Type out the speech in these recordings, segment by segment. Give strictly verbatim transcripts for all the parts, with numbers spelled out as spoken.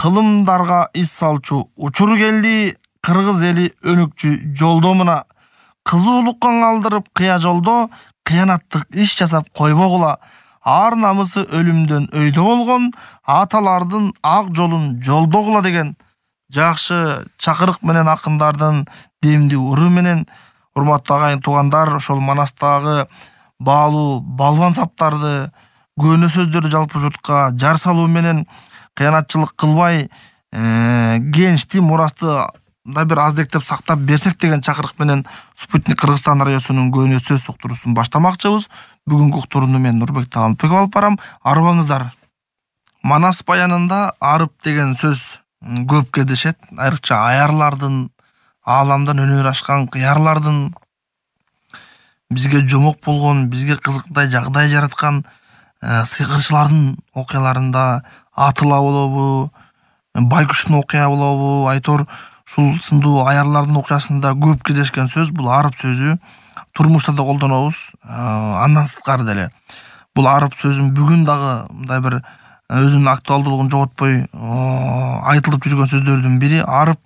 кылымдарга ис салчу учур келди. Кыргыз эли өнүкчү жолдомуна кызуулукка калдырып кыя жолдо кыянаттык иш жасап койбогула. Ар намысы өлүмдөн өйдө болгон аталардын ак жолун жолдогула деген жакшы чакырык менен акындардын демди уру менен урматтуу агайын туугандар, ошол Манастагы баалуу балбан саптарды, көөнө сөздөрдү жалпы журтка жар салуу менен кыянатчылык кылбай, кенчти мурасты да бир аздектеп сактап берсек деген чакырык менен Спутник Кыргызстан радиосунун көөнө сөз уктуруусун баштамакчыбыз. Бүгүнкү уктурууну мен Нурбек Таалынбеков алып барам. Арыбаңыздар. Манас баянында арып деген сөз көп кездешет. Айрыкча аярлардын, ааламдан өнөр ашкан кыярлардын, бизге жомок болгон, бизге кызыктай жагдай жараткан сыйкырчылардын окуяларында Атыла болобу, Байкуштун окуя болобу, айтор ушул сындуу аярлардын окуясында көп кездешкен сөз бул арып сөзү. Турмушта да колдонобуз, андан сырткары деле. Бул арып сөзүн бүгүн дагы мындай бир өзүнүн актуалдуулугун жоготпой айтылып жүргөн сөздөрдүн бири. Арып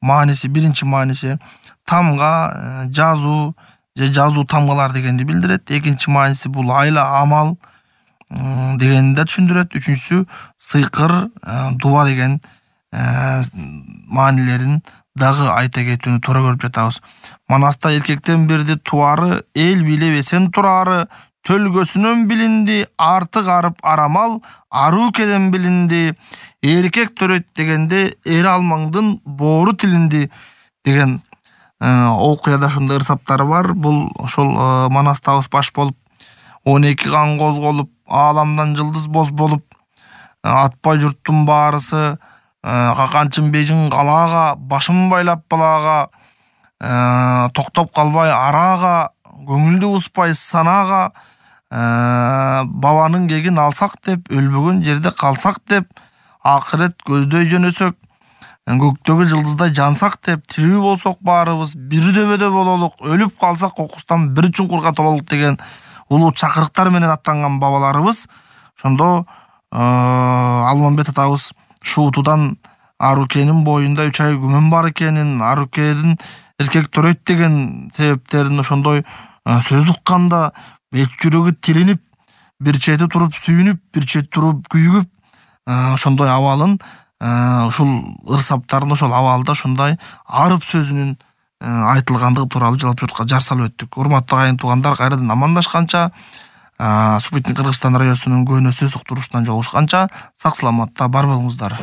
мааниси, биринчи мааниси тамга, жазуу же жазуу тамгалар дегенди билдирет. Экинчи мааниси бул айла амал дегенди да түшүндүрөт. Үчүнчүсү сыйкыр, дуба деген маанилерин дагы айта кетүүнү туура көрүп жатабыз. Манаста эркектен бирди туары, эл билебесен турары, төлгөсүнөн билинди, артык арып арамал, арукеден билинди, эркек төрөйт дегенде эр алмаңдын боору тилинди деген окуяда ошондой ырсаптары бар. Бул ошол Манастабыз баш болуп, он эки кан козголуп, ааламдан жылдыз боз болуп, атпай журттун баарысы, каканчын бежин калаага, башын байлап балаага, токтоп калбай араага, көңүлдү успай санаага, бабанын кегин алсак деп, өлбөгөн жерде калсак деп, акырет көздөй жөнөсөк, көктөгү жылдыздай жансак деп, тирүү болсок баарыбыз бир дөбөдө бололук, өлүп калсак кокустан бир чуңкурга тололук деген улуу чакырыктар менен аттанган бабаларыбыз. Ошондо Алмамбет атабыз шуутудан Арукенин боюнда үч ай күмөн бар экенин, Арукедин эркек төрөйт деген себептерин ошондой сөз укканда эч жүрөгү тилинип, бир чети туруп сүйүнүп, бир чети туруп күйүгүп, ошондой абалын, ушул ырсаптарын ошол абалда ошондой арып сөзүнүн айтылгандыгы тууралуу жалпы журтка жар салып өттүк. Урматтуу агайын туугандар, кайрадан амандашканча, Спутник Кыргызстан радиосунун көөнө сөз уктуруусунан жолугушканча, сак саламатта бар болуңуздар.